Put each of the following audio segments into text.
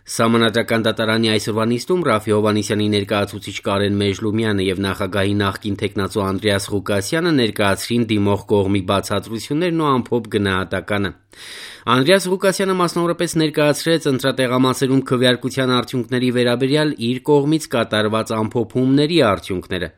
Սահմանադրական դատարանի այսօրվա նիստում Ռաֆի Հովհաննիսյանի ներկայացուցիչ Կարեն Մեժլումյանը եւ նախագահի նախկին թեկնածու Անդրեաս Ղուկասյանը ներկայացրին դիմող կողմի բացատրություններն ու ամփոփ գնահատականը։ Անդրեաս Ղուկասյանը մասնավորապես ներկայացրեց ընտրատեղամասերում քվեարկության արդյունքների վերաբերյալ իր կողմից կատարված ամփոփումների արդյունքները։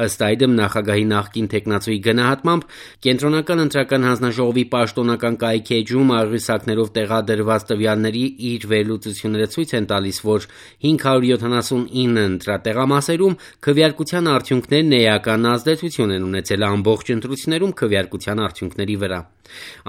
Ըստ այդմ նախագահի նախկին թեկնածուի գնահատմամբ Կենտրոնական ընտրական հանձնաժողովի պաշտոնական կայքէջում աղյուսակներով տեղադրված տվյալների իր վերլուծությունները ցույց են տալիս, որ 579 ընտրատեղամասերում քվեարկության արդյունքներն էական ազդեցություն են ունեցել ամբողջ ընտրություններում քվեարկության արդյունքների վրա։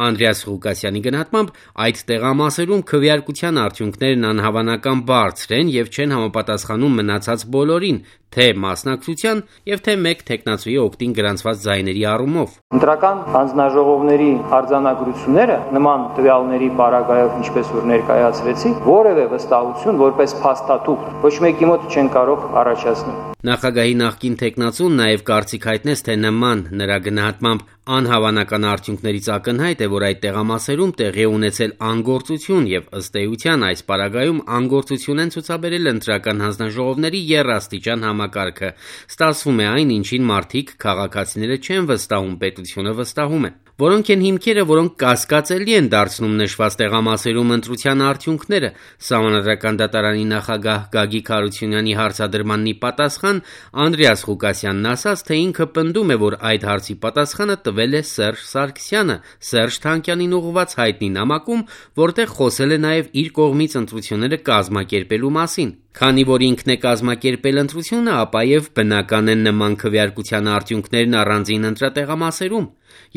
Անդրեաս Ղուկասյանի գնահատմամբ այդ տեղամասերում քվեարկության արդյունքներն անհավանական բարձր են եւ չեն համապատասխանում մնացած բոլորին, թե մասնակցության եւ թե մեկ թեկնածուի օգտին գրանցված ձայների առումով։ Ընտրական հանձնաժողովների արձանագրությունները նման տվյալների պարագայով, ինչպես որ ներկայացրեցի, որևէ վստահություն որպես փաստաթուղթ ոչ մեկի մոտ չեն կարող առաջացնել։ Նախագահի նախկին թեկնածուն նաև կարծիք հայտնեց, թե նման նրա գնահատմամբ անհավանական արդյունքներից ակնհայտ է, որ այդ տեղամասերում տեղի ունեցել անգործություն եւ ըստ էության այս պարագայում անգործություն են ցուցաբերել ընտրական հանձնաժողովների եռաստիճան համակարգը։ Ստացվում է այն, ինչին մարդիկ, քաղաքացիները չեն վստահում, պետությունը վստահում է։ Որոնք են հիմքերը, որոնք կասկածելի են դարձնում նշված տեղամասերում ընտրության արդյունքները։ Սահմանադրական դատարանի նախագահ Գագիկ Հարությունյանի հարցադրմանն ի պատասխան Անդրեաս Ղուկասյանն ասաց, թե ինքը պնդում է, որ այդ հարցի պատասխանը տվել է Սերժ Սարգսյանը Սերժ Թանկյանին ուղղված հայտնի նամակում, որտեղ խոսել է նաև իր կողմից ընտրությունները կազմակերպելու մասին։ Քանի որ ինքն է կազմակերպել ընտրությունը, ապա եւ բնական են նման քվեարկության արդյունքներն առանձին ընտրատեղամասերում։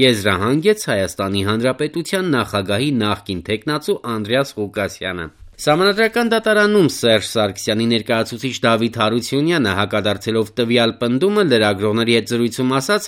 Եզրահանգեց Հայաստանի Հանրապետության նախագահի նախկին թեկնածու Անդրեաս Ղուկասյանը։ Սահմանադրական դատարանում Սերժ Սարգսյանի ներկայացուցիչ Դավիթ Հարությունյանը հակադարձելով տվյալ պնդումը լրագրողների հետ զրույցում ասաց,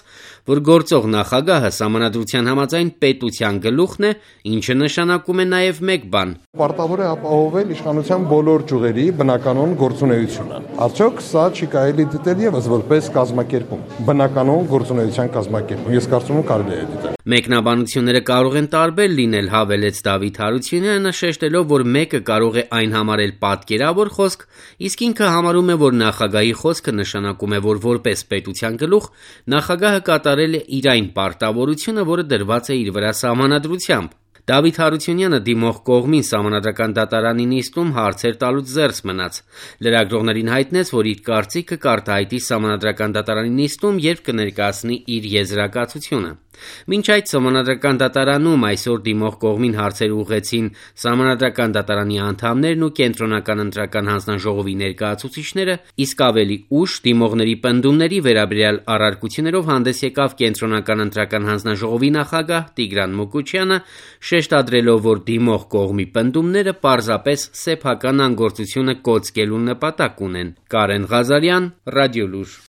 որ գործող նախագահը սահմանադրության համաձայն պետության գլուխն է, ինչը նշանակում է նաև մեկ բան. Պարտավոր է ապահովել իշխանության բոլոր ճյուղերի բնականոն գործունեությունը։ Արդյոք սա չի կարելի դիտել եւս որպես կազմակերպում, բնականոն գործունեության կազմակերպում։ Ես կարծում եմ կարելի է դիտել։ Մեկնաբանությունները կարող են տարբեր լինել, հավելեց Դավիթ Հարությունյանը, շեշտելով, որ մեկը կարող է այն համարել պատկերավոր խոսք, իսկ ինքը համարում է, որ նախագահի խոսքը նշանակում է, որ որպես պետության գլուխ նախագահը կատարել է իր այն պարտավորությունը, որը դրված է իր վրա սահմանադրությամբ։ Դավիթ Հարությունյանը դիմող կողմին սահմանադրական դատարանի նիստում հարցեր տալուց զերծ մնաց։ Լրագրողներին հայտնեց, որ իր կարծիքը կարտահայտի սահմանադրական դատարանի նիստում, երբ կներկայացնի իր եզրակացությունը։ Մինչ այդ սահմանադրական դատարանում այսօր դիմող կողմին հարցեր ուղղեցին սահմանադրական դատարանի անդամներն ու Կենտրոնական ընտրական հանձնաժողովի ներկայացուցիչները, իսկ ավելի ուշ դիմողների պնդումների վերաբերյալ առարկություններով հանդես եկավ Կենտրոնական ընտրական հանձնաժողովի նախագահ Տիգրան Մուկուչյանը, շեշտադրելով, որ դիմող կողմի պնդումները պարզապես սեփական անգործությունը կոծկելու նպատակ ունեն։ Կարեն Ղազարյան, Ռադիոլուր։